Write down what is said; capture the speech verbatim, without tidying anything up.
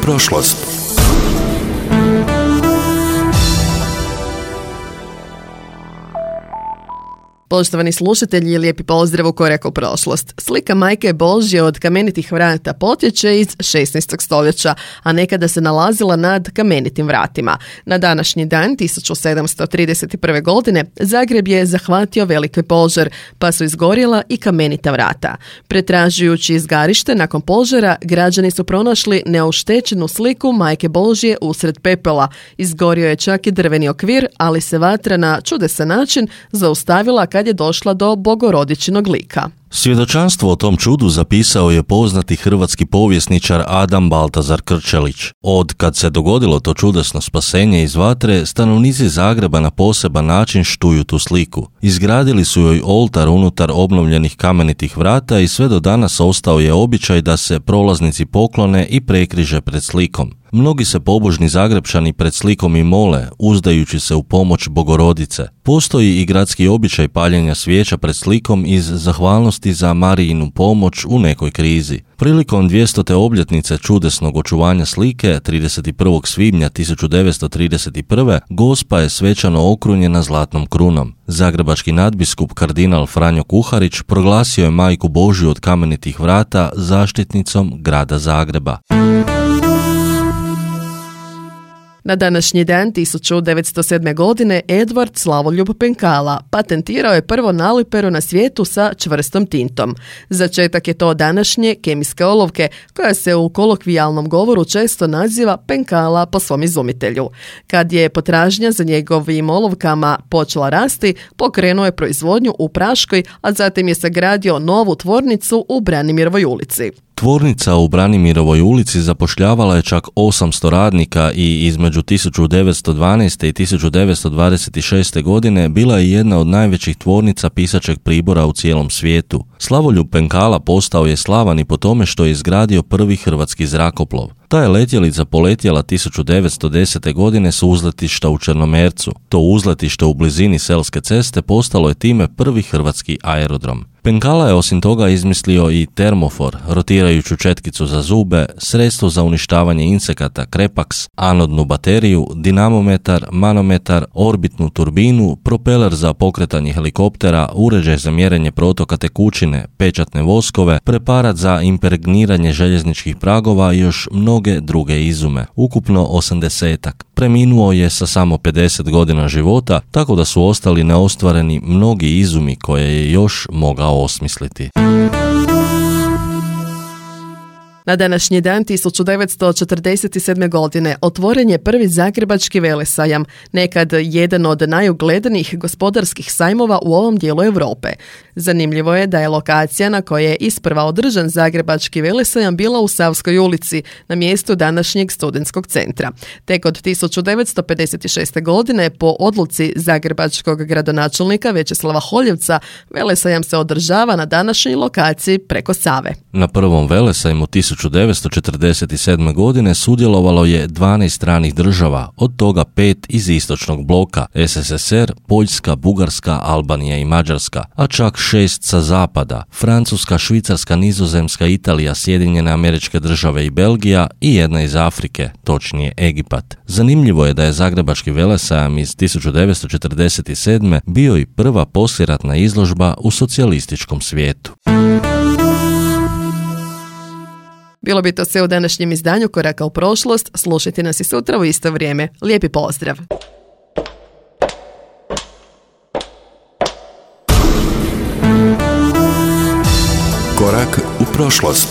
prošlost. Poštovani slušatelji, lijepi pozdrav u Korak u prošlost. Slika Majke Božje od kamenitih vrata potječe iz šesnaestog stoljeća, a nekada se nalazila nad kamenitim vratima. Na današnji dan, tisuću sedamsto trideset prve. godine, Zagreb je zahvatio veliki požar, pa su izgorjela i kamenita vrata. Pretražujući izgarište nakon požara, građani su pronašli neoštećenu sliku Majke Božje usred pepela. Izgorio je čak i drveni okvir, ali se vatra na čudesan način zaustavila kad je došla do bogorodičinog lika. Svjedočanstvo o tom čudu zapisao je poznati hrvatski povjesničar Adam Baltazar Krčelić. Od kad se dogodilo to čudesno spasenje iz vatre, stanovnici Zagreba na poseban način štuju tu sliku. Izgradili su joj oltar unutar obnovljenih kamenitih vrata i sve do danas ostao je običaj da se prolaznici poklone i prekriže pred slikom. Mnogi se pobožni Zagrebčani pred slikom i mole, uzdajući se u pomoć Bogorodice. Postoji i gradski običaj paljenja svijeća pred slikom iz zahvalnosti za Marijinu pomoć u nekoj krizi. Prilikom dvjestote obljetnice čudesnog očuvanja slike, trideset prvog svibnja tisuću devetsto trideset prve. Gospa je svečano okrunjena zlatnom krunom. Zagrebački nadbiskup kardinal Franjo Kuharić proglasio je Majku Božju od kamenitih vrata zaštitnicom grada Zagreba. Na današnji dan tisuću devetsto sedme. godine Edvard Slavoljub Penkala patentirao je prvo naliperu na svijetu sa čvrstom tintom. Začetak je to današnje kemijske olovke, koja se u kolokvijalnom govoru često naziva Penkala po svom izumitelju. Kad je potražnja za njegovim olovkama počela rasti, pokrenuo je proizvodnju u Praškoj, a zatim je sagradio novu tvornicu u Branimirovoj ulici. Tvornica u Branimirovoj ulici zapošljavala je čak osamsto radnika i između tisuću devetsto dvanaeste. i tisuću devetsto dvadeset šeste. godine bila je jedna od najvećih tvornica pisaćeg pribora u cijelom svijetu. Slavoljub Penkala postao je slavan i po tome što je izgradio prvi hrvatski zrakoplov. Ta je letjelica poletjela tisuću devetsto desete. godine s uzletišta u Črnomercu. To uzletište u blizini Selske ceste postalo je time prvi hrvatski aerodrom. Penkala je osim toga izmislio i termofor, rotirajuću četkicu za zube, sredstvo za uništavanje insekata Krepax, anodnu bateriju, dinamometar, manometar, orbitnu turbinu, propeler za pokretanje helikoptera, uređaj za mjerenje protoka tekućine, pečatne voskove, preparat za impregniranje željezničkih pragova i još mnoge druge izume, ukupno osamdesetak. Preminuo je sa samo pedeset godina života, tako da su ostali neostvareni mnogi izumi koje je još mogao osmisliti. Na današnji dan tisuću devetsto četrdeset sedme. godine otvoren je prvi zagrebački velesajam, nekad jedan od najuglednijih gospodarskih sajmova u ovom dijelu Europe. Zanimljivo je da je lokacija na kojoj je isprva održan zagrebački velesajam bila u Savskoj ulici, na mjestu današnjeg studentskog centra. Tek od tisuću devetsto pedeset šeste. godine po odluci zagrebačkog gradonačelnika Večeslava Holjevca velesajam se održava na današnjoj lokaciji preko Save. Na prvom velesajmu tisuću devetsto četrdeset sedme. godine sudjelovalo je dvanaest stranih država, od toga pet iz istočnog bloka, S S S R, Poljska, Bugarska, Albanija i Mađarska, a čak šest sa zapada, Francuska, Švicarska, Nizozemska, Italija, Sjedinjene Američke Države i Belgija i jedna iz Afrike, točnije Egipat. Zanimljivo je da je Zagrebački velesajam iz tisuću devetsto četrdeset sedme. bio i prva poslijeratna izložba u socijalističkom svijetu. Bilo bi to sve u današnjem izdanju Koraka u prošlost. Slušajte nas i sutra u isto vrijeme. Lijepi pozdrav! Korak u prošlost.